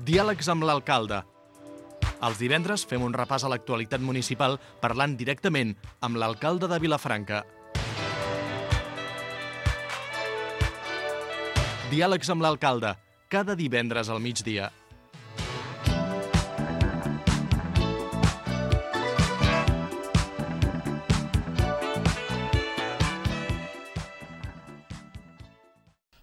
Diàlegs amb l'alcalde. Els divendres fem un repàs a l'actualitat municipal parlant directament amb l'alcalde de Vilafranca. Diàlegs amb l'alcalde, cada divendres al migdia.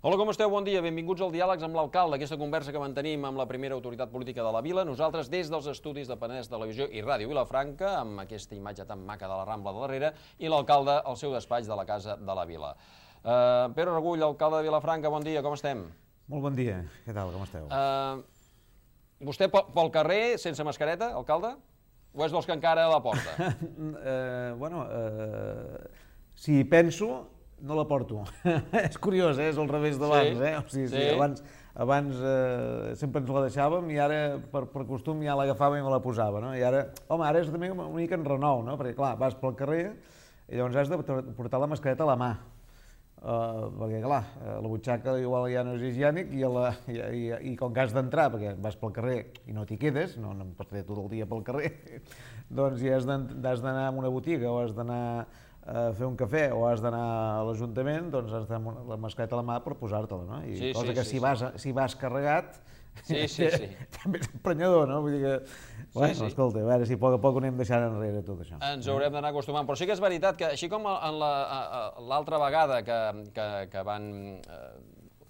Hola, com esteu? Bon dia. Benvinguts al Diàlegs amb l'alcalde, aquesta conversa que mantenim amb la primera autoritat política de la vila. Nosaltres des dels estudis de Penedès Televisió i Ràdio Vilafranca, amb aquesta imatge tan maca de la Rambla de darrere, i l'alcalde al seu despatx de la Casa de la Vila. Pere Regull, alcalde de Vilafranca, bon dia, com estem? Molt bon dia, què tal, com esteu? Vostè pel carrer, sense mascareta, alcalde? O és dels que encara la porta? Si penso, no la porto. És curiós, és al revés d'abans, eh? O sigui, abans sempre ens la deixàvem i ara, per costum, ja l'agafava i me la posava, no? I ara, home, ara és també una mica en renou, no? Perquè, clar, vas pel carrer i llavors has de portar la mascareta a la mà. Perquè, clar, la butxaca igual ja no és higiènic i com que has d'entrar, perquè vas pel carrer i no t'hi quedes, no pots fer tot el dia pel carrer, doncs ja has d'anar a una botiga o has d'anar a fer un cafè o has d'anar a l'Ajuntament, doncs has d'anar la mascareta a la mà per posar-te-la, no? I cosa que si vas carregat també és emprenyador, no? Vull dir que, bueno, escolta, a veure si a poc a poc ho anem deixant enrere tot això. Ens haurem d'anar acostumant, però sí que és veritat que així com l'altra vegada que van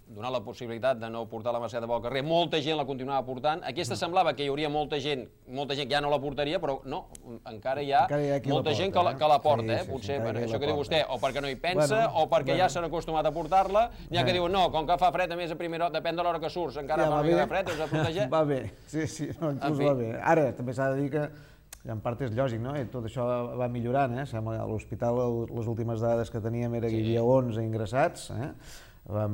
donar la possibilitat de no portar la mascareta pel carrer, molta gent la continuava portant, aquesta semblava que hi hauria molta gent que ja no la portaria, però no, encara hi ha molta gent que la porta, potser per això que diu vostè, o perquè no hi pensa, o perquè ja s'han acostumat a portar-la, n'hi ha que diuen, no, com que fa fred, a més a primera hora, depèn de l'hora que surts, encara fa una mica de fred, us ha protegit. Va bé, sí, inclús va bé. Ara, també s'ha de dir que en part és lògic, no? I tot això va millorant, eh? A l'hospital les últimes dades que teníem era que hi havia 11 ingressats,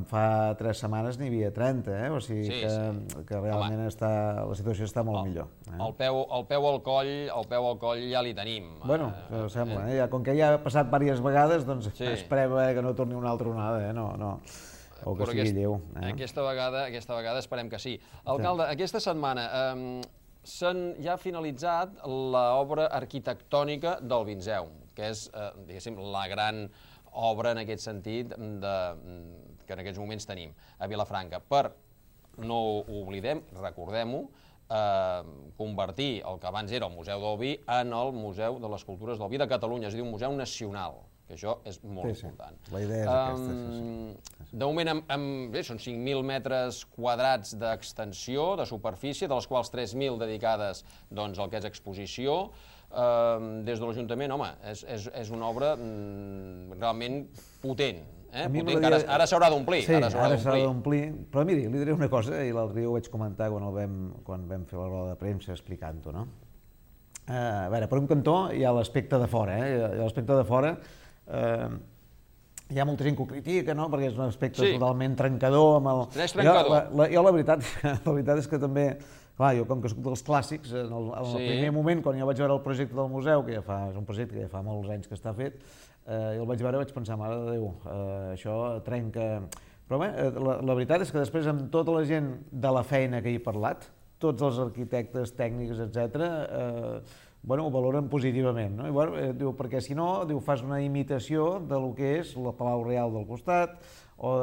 fa 3 setmanes n'hi havia 30, o sigui que realment la situació està molt millor. El peu al coll ja li tenim. Bueno, sembla, com que ja ha passat diverses vegades, doncs esperem que no torni una altra onada, o que sigui lleu. Aquesta vegada esperem que sí. Alcalde, aquesta setmana ja ha finalitzat l'obra arquitectònica del Vinzeu, que és, diguéssim, la gran obra en aquest sentit que en aquests moments tenim a Vilafranca. No ho oblidem, recordem-ho, convertir el que abans era el Museu del Vi en el Museu de les Cultures del Vi de Catalunya, és a dir, un museu nacional, que això és molt important. La idea és aquesta. De moment són 5.000 metres quadrats d'extensió, de superfície, de les quals 3.000 dedicades al que és exposició. Des de l'Ajuntament, home, és una obra realment potent, que ara s'haurà d'omplir. Sí, ara s'haurà d'omplir, però miri, li diré una cosa, i l'altre dia ho vaig comentar quan vam fer la roda de premsa explicant-ho, no? A veure, per un cantó hi ha l'aspecte de fora, l'aspecte de fora hi ha molta gent que ho critica, no?, perquè és un aspecte totalment trencador amb el... És trencador. Jo la veritat és que també, clar, jo com que soc dels clàssics, en el primer moment, quan jo vaig veure el projecte del museu, que és un projecte que ja fa molts anys que està fet, jo el vaig veure i vaig pensar, mare de Déu, això trenca... Però bé, la veritat és que després amb tota la gent de la feina que hi he parlat, tots els arquitectes, tècnics, etc., ho valoren positivament, no? Diu, perquè si no, fas una imitació del que és el Palau Real del costat o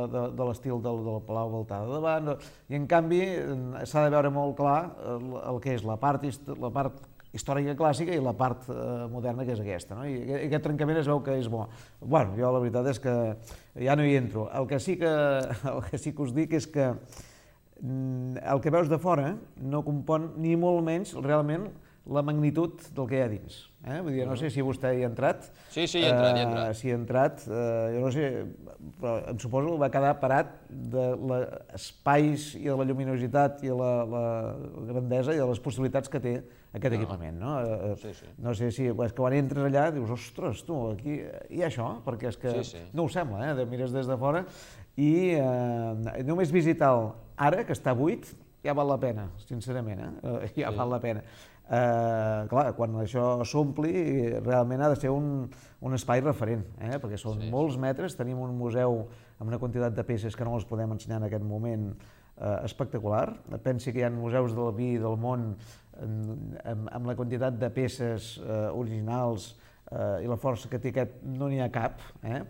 de l'estil del Palau Baltà de davant, i en canvi s'ha de veure molt clar el que és la part històrica clàssica i la part moderna, que és aquesta, no? I aquest trencament es veu que és bo. Bueno, jo la veritat és que ja no hi entro. El que sí que us dic és que el que veus de fora no compon ni molt menys realment la magnitud del que hi ha dins. Vull dir, no sé si vostè hi ha entrat. Sí, hi he entrat. Si hi ha entrat, jo no sé, però em suposo que va quedar parat de l'espais i de la lluminositat i la grandesa i de les possibilitats que té aquest equipament, no? No sé si, és que quan entres allà dius, ostres, tu, aquí hi ha això, perquè és que no ho sembla, mires des de fora, i només visitar-lo ara, que està buit, ja val la pena, sincerament, ja val la pena. Clar, quan això s'ompli, realment ha de ser un espai referent, perquè són molts metres, tenim un museu amb una quantitat de peces que no les podem ensenyar en aquest moment espectacular. Pensi que hi ha museus del vi del món amb la quantitat de peces originals i la força que té aquest no n'hi ha cap,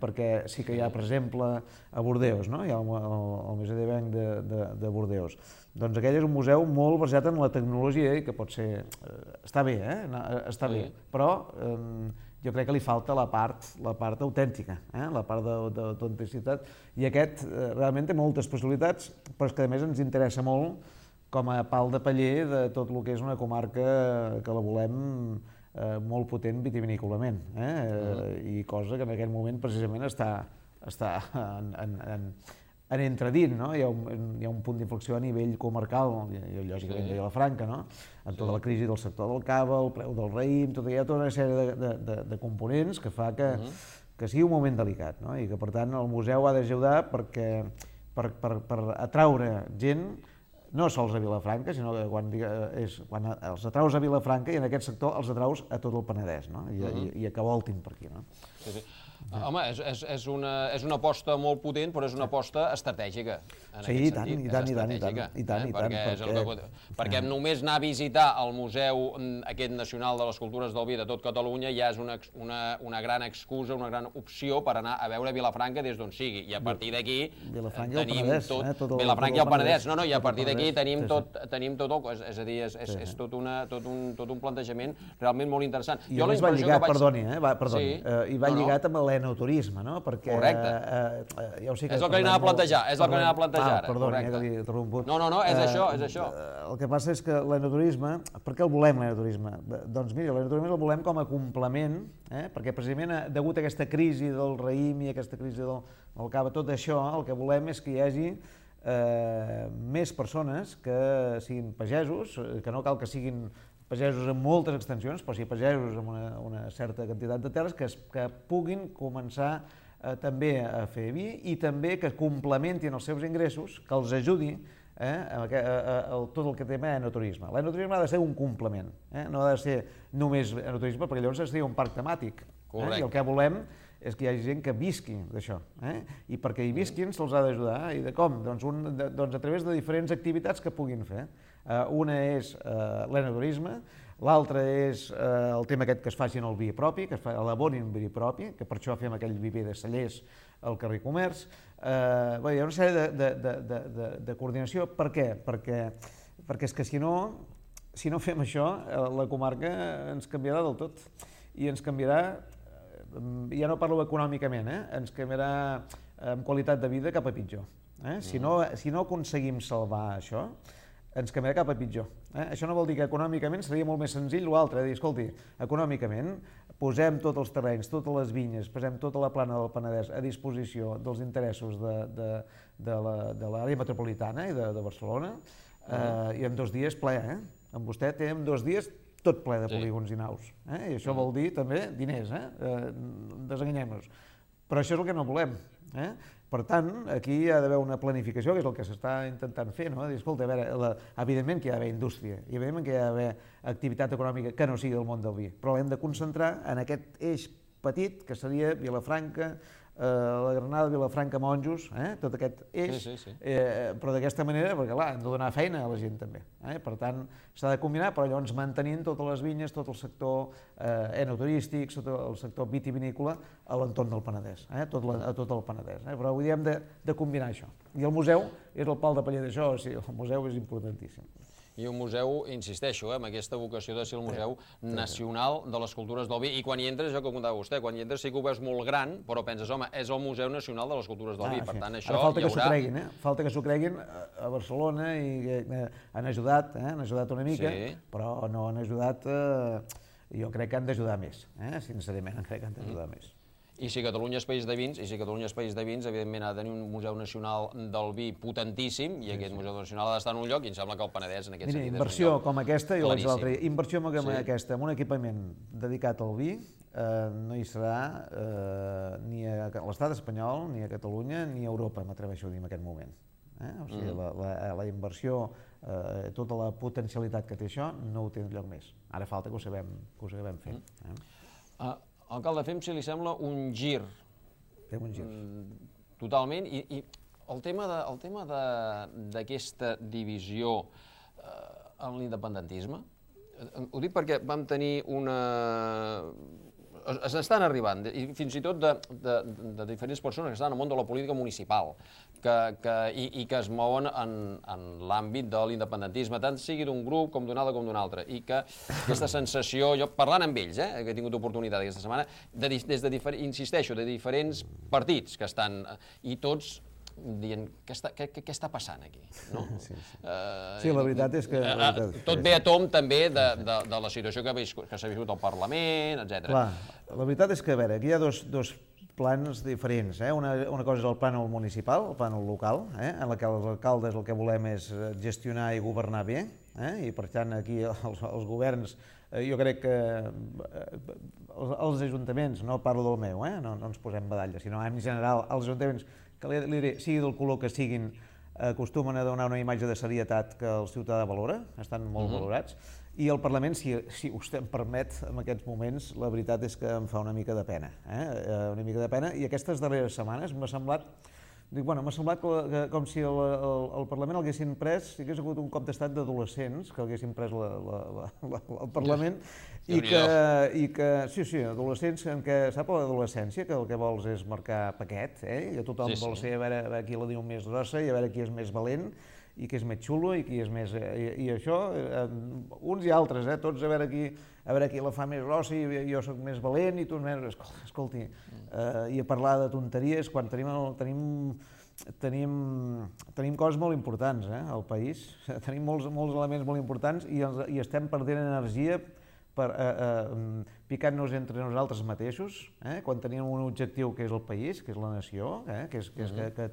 perquè sí que hi ha, per exemple, a Bordeus, no? Hi ha el Museu de Banc de Bordeus. Doncs aquell és un museu molt basat en la tecnologia i que pot ser... està bé, està bé, però jo crec que li falta la part autèntica, la part d'autenticitat, i aquest realment té moltes possibilitats, però és que a més ens interessa molt com a pal de paller de tot el que és una comarca que la volem molt potent vitivinícolament, i cosa que en aquest moment precisament està en entredint, no? Hi ha un punt d'inflexió a nivell comarcal, lògicament de Vilafranca, no? Amb tota la crisi del sector del cava, el preu del raïm, hi ha tota una sèrie de components que fa que sigui un moment delicat, no? I que per tant el museu ha d'ajudar per atraure gent, no sols a Vilafranca, sinó que quan els atraus a Vilafranca i en aquest sector els atraus a tot el Penedès, no? I que voltin per aquí, no? Sí. Home, és una aposta molt potent, però és una aposta estratègica. Sí, i tant. Perquè només anar a visitar el Museu aquest nacional de les cultures del vi de tot Catalunya ja és una gran excusa, una gran opció per anar a veure Vilafranca des d'on sigui. I a partir d'aquí tenim tot... Vilafranca i el Penedès. No, i a partir d'aquí tenim tot el... És a dir, és tot un plantejament realment molt interessant. I a més va lligat, perdoni, i va lligat amb l'enoturisme, no? Perquè... Correcte. És el que li anava a plantejar, ara. Perdoni, que l'he interromput. No, és això. El que passa és que l'enoturisme, per què el volem, l'enoturisme? Doncs mira, l'enoturisme el volem com a complement, perquè precisament degut a aquesta crisi del raïm i aquesta crisi del cava, tot això, el que volem és que hi hagi més persones que siguin pagesos, que no cal que siguin pagesos amb moltes extensions, però sí pagesos amb una certa quantitat de terres que puguin començar també a fer vi i també que complementin els seus ingressos, que els ajudi a tot el que té enoturisme. L'enoturisme ha de ser un complement, no ha de ser només enoturisme, perquè llavors seria un parc temàtic. I el que volem és que hi hagi gent que visqui d'això. I perquè hi visquin se'ls ha d'ajudar. I de com? Doncs a través de diferents activitats que puguin fer. Una és l'enoturisme, l'altra és el tema aquest que es facin el vi propi, que elaborin vi propi, que per això fem aquell viver de cellers al carrer Comerç. Hi ha una sèrie de coordinació. Per què? Perquè és que si no fem això, la comarca ens canviarà del tot. I ens canviarà, ja no parlo econòmicament, ens canviarà en qualitat de vida cap a pitjor. Si no aconseguim salvar això, ens canviarà cap a pitjor. Això no vol dir que econòmicament seria molt més senzill l'altre, dir, escolti, econòmicament posem tots els terrenys, totes les vinyes, posem tota la plana del Penedès a disposició dels interessos de l'àrea metropolitana i de Barcelona, i en 2 dies ple, amb vostè té en 2 dies tot ple de polígons i naus. I això vol dir també diners, desenganyem-nos. Però això és el que no volem. Per tant, aquí hi ha d'haver una planificació, que és el que s'està intentant fer, no? Dir, escolta, a veure, evidentment que hi ha d'haver indústria, i evidentment que hi ha d'haver activitat econòmica que no sigui del món del vi, però l'hem de concentrar en aquest eix petit, que seria Vilafranca, la Granada, Vilafranca, Monjos, tot aquest eix, però d'aquesta manera, perquè clar, hem de donar feina a la gent també. Per tant, s'ha de combinar, però llavors mantenint totes les vinyes, tot el sector enoturístic, tot el sector vitivinícola a l'entorn del Penedès, a tot el Penedès. Però avui dia hem de combinar això. I el museu és el pal de paller d'això, o sigui, el museu és importantíssim. I un museu, insisteixo, amb aquesta vocació de ser el Museu Nacional de les Cultures del Vi. I quan hi entres, això que comentava vostè, quan hi entres sí que ho veus molt gran, però penses, home, és el Museu Nacional de les Cultures del Vi. Per tant, això hi haurà... Falta que s'ho creguin a Barcelona i han ajudat una mica, però no han ajudat... Jo crec que han d'ajudar més, sincerament, crec que han d'ajudar més. I si Catalunya és país de vins, evidentment ha de tenir un Museu Nacional del Vi potentíssim, i aquest Museu Nacional ha d'estar en un lloc, i em sembla que el Penedès en aquest sentit és un lloc inversió com aquesta, jo vaig l'altre dia, inversió com aquesta, amb un equipament dedicat al vi, no hi serà ni a l'estat espanyol, ni a Catalunya, ni a Europa, m'atreveixo a dir en aquest moment. O sigui, la inversió, tota la potencialitat que té això, no ho té enlloc més. Ara falta que ho sabem fer. Alcalde, fem, si li sembla, un gir. Fem un gir. Totalment, i El tema d'aquesta divisió en l'independentisme, ho dic perquè vam tenir estan arribant, i fins i tot de diferents persones que estan al món de la política municipal i que es mouen en l'àmbit de l'independentisme, tant sigui d'un grup com d'un altre, i que aquesta sensació, jo parlant amb ells, que he tingut oportunitat aquesta setmana, insisteixo, de diferents partits que estan, i tots dient, què està passant aquí? Sí, la veritat és que... Tot ve a tom també de la situació que s'ha viscut al Parlament, etc. Clar, la veritat és que, a veure, aquí hi ha dos plans diferents. Una cosa és el plànol municipal, el plànol local, en la que els alcaldes el que volem és gestionar i governar bé, i per tant aquí els governs, jo crec que els ajuntaments, no parlo del meu, no ens posem medalles, sinó en general els ajuntaments, que sigui del color que siguin, acostumen a donar una imatge de serietat que el ciutadà valora, estan molt valorats, i el Parlament, si vostè em permet, en aquests moments, la veritat és que em fa una mica de pena, una mica de pena, i aquestes darreres setmanes m'ha semblat com si el Parlament l'haguessin pres, si hagués hagut un cop d'estat d'adolescents que haguessin pres el Parlament, i que, sí, adolescents en què, sap l'adolescència, que el que vols és marcar paquet, i que tothom vol ser a veure qui la diu més grossa i a veure qui és més valent, i qui és més xulo, i qui és més... I això, uns i altres, tots a veure qui la fa més grossa, i jo soc més valent, i tu més... Escolti, i a parlar de tonteries, quan tenim coses molt importants al país, tenim molts elements molt importants i estem perdent energia picant-nos entre nosaltres mateixos, quan tenim un objectiu que és el país, que és la nació, que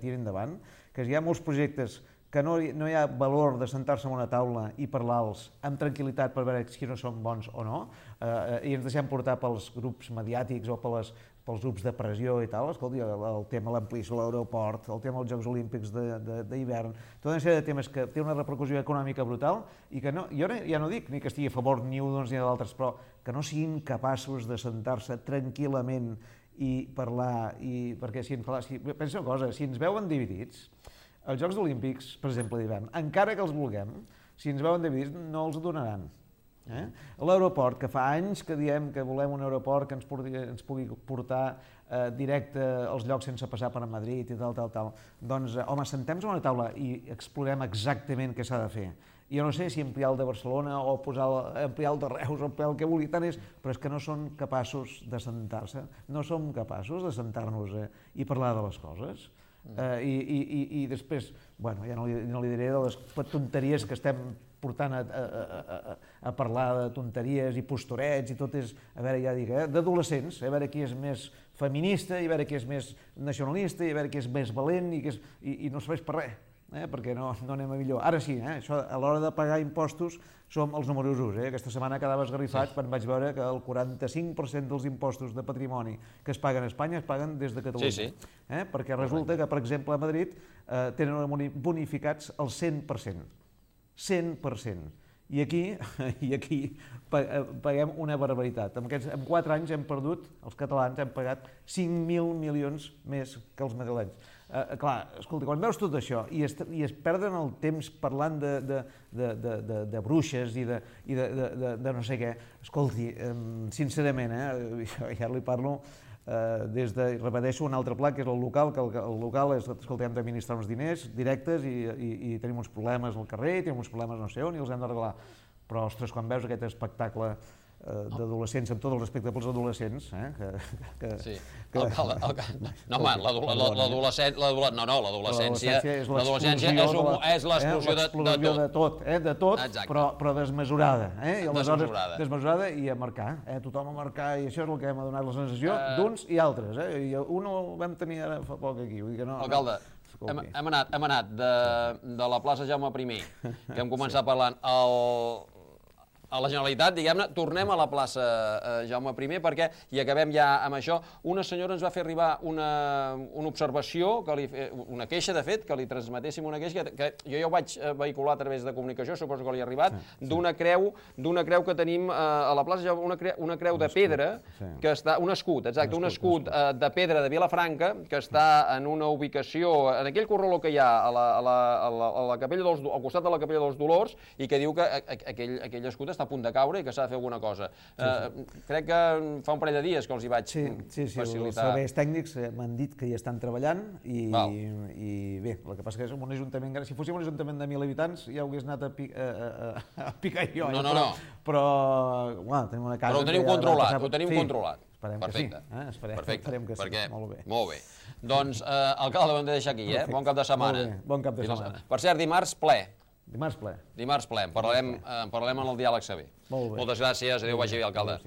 tiri endavant, que hi ha molts projectes que no hi ha valor de sentar-se en una taula i parlar-los amb tranquil·litat per veure si no són bons o no, i ens deixem portar pels grups mediàtics o pels grups de pressió i tal. Escolti, el tema de l'ampliació de l'aeroport, el tema dels Jocs Olímpics d'hivern, tota una sèrie de temes que té una repercussió econòmica brutal i que jo ja no dic ni que estigui a favor ni d'uns ni d'altres, però que no siguin capaços de sentar-se tranquil·lament i parlar, perquè pensa una cosa, si ens veuen dividits, els Jocs Olímpics, per exemple, d'hivern, encara que els vulguem, si ens veuen dividits, no els donaran. L'aeroport, que fa anys que diem que volem un aeroport que ens pugui portar directe als llocs sense passar per Madrid i tal, doncs, home, sentem-nos a una taula i explorem exactament què s'ha de fer. Jo no sé si ampliar el de Barcelona o ampliar el de Reus o ampliar el que vulgui, tant és, però és que no són capaços de sentar-se, no som capaços de sentar-nos i parlar de les coses. I després, bueno, ja no li diré de les tonteries que estem portant a parlar de tonteries i posturets i tot és, a veure, ja dic, d'adolescents, a veure qui és més feminista i a veure qui és més nacionalista i a veure qui és més valent i no serveix per res, perquè no anem a millor. Ara sí, això a l'hora de pagar impostos som els números 1. Aquesta setmana quedava esgarrifat quan vaig veure que el 45% dels impostos de patrimoni que es paguen a Espanya es paguen des de Catalunya. Perquè resulta que, per exemple, a Madrid tenen bonificats el 100%. 100%. I aquí paguem una barbaritat. En 4 anys hem perdut, els catalans hem pagat 5.000 milions més que els madrilenys. Clar, escolta, quan veus tot això i es perden el temps parlant de bruixes i de no sé què, escolti, sincerament, ja li parlo repeteixo, un altre pla, que és el local, que el local és, escolta, hem d'administrar uns diners directes i tenim uns problemes al carrer, tenim uns problemes no sé on i els hem d'arreglar. Però, ostres, quan veus aquest espectacle d'adolescents, amb tot el respecte pels adolescents, Sí, no, home, l'adolescència és l'explosió de tot, però desmesurada, i aleshores desmesurada i a marcar, tothom a marcar, i això és el que hem donat la sensació d'uns i altres, i un el vam tenir ara fa poc aquí, vull dir que no... Alcalde, hem anat de la plaça Jaume I, que hem començat parlant, a la Generalitat, diguem-ne, tornem a la plaça Jaume I, perquè, i acabem ja amb això, una senyora ens va fer arribar una observació, una queixa, de fet, que li transmetéssim una queixa, que jo ja ho vaig vehicular a través de comunicació, suposo que li ha arribat, d'una creu que tenim a la plaça Jaume, una creu de pedra, que està, un escut, exacte, un escut de pedra de Vilafranca, que està en una ubicació, en aquell corraló que hi ha al costat de la Capella dels Dolors, i que diu que aquell escut està a punt de caure i que s'ha de fer alguna cosa. Crec que fa un parell de dies que els hi vaig facilitar. Sí, els serveis tècnics m'han dit que hi estan treballant i bé, el que passa que és un ajuntament gran. Si fóssim un ajuntament de 1.000 habitants ja ho hagués anat a picar jo. No. Però tenim una casa... Però ho teniu controlat, ho tenim controlat. Esperem que sí, molt bé. Molt bé. Doncs, alcalde, ho hem de deixar aquí, bon cap de setmana. Bon cap de setmana. Per cert, dimarts ple. Dimarts ple. Dimarts ple. En parlarem en el diàleg saber. Molt bé. Moltes gràcies. Adéu, vagi bé, alcalde.